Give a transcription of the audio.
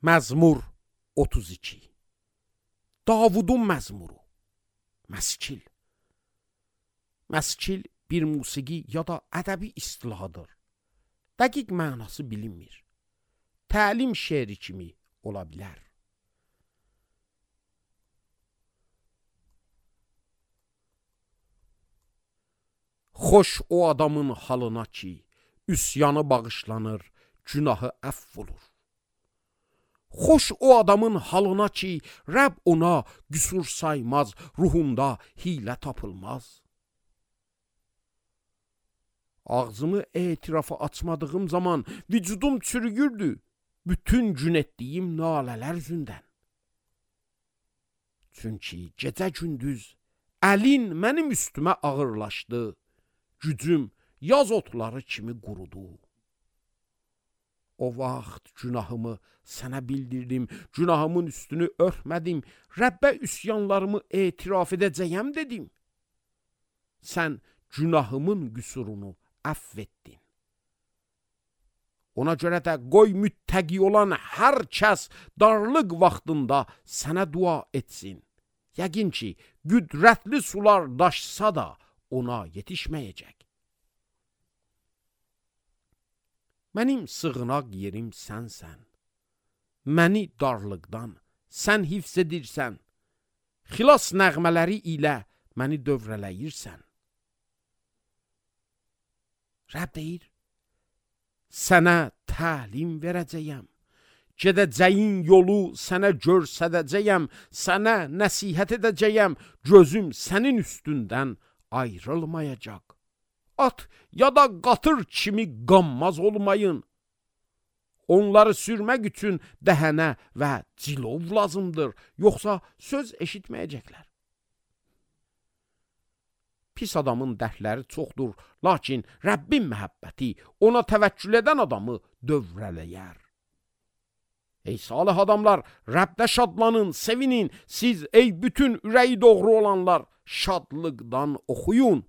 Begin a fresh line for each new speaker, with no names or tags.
Məzmur 32. Davudun məzmuru. Məskil. Məskil bir musiqi ya da ədəbi istilahıdır. Dəqiq mənası bilinmir. Təlim şeiri kimi ola bilər. Xoş o adamın halına ki, üsyanı bağışlanır, günahı əff olur. Xoş o adamın halına ki, Rəbb ona qüsur saymaz, ruhunda hilə tapılmaz. Ağzımı etirafa açmadığım zaman vücudum çürüyürdü, bütün gün etdiyim nalələr yüzündən. Çünki gecə gündüz əlin mənim üstümə ağırlaşdı, gücüm yaz otları kimi qurudu. O vaxt günahımı sənə bildirdim, günahımın üstünü örtmədim, Rəbbə üsyanlarımı etiraf edəcəyəm dedim. Sən günahımın qüsurunu əff etdin. Ona görə də qoy müttəqi olan hər kəs darlıq vaxtında sənə dua etsin. Yəqin ki, qüdrətli sular daşsa da ona yetişməyəcək. Mənim sığınaq yerim sənsən. Məni darlıqdan sən hifz edirsən. Xilas nəğmələri ilə məni dövrələyirsən. Rəbb deyir, sənə təlim verəcəyəm. Gedəcəyin yolu sənə görsədəcəyəm. Sənə nəsihət edəcəyəm. Gözüm sənin üstündən ayrılmayacaq. At ya da qatır kimi qanmaz olmayın. Onları sürmək üçün dəhənə və cilov lazımdır. Yoxsa söz eşitməyəcəklər. Pis adamın dərdləri çoxdur, lakin Rəbbin məhəbbəti ona təvəkkül edən adamı dövrələyər. Ey salih adamlar, Rəbdə şadlanın, sevinin. Siz ey bütün ürəyi doğru olanlar, şadlıqdan oxuyun.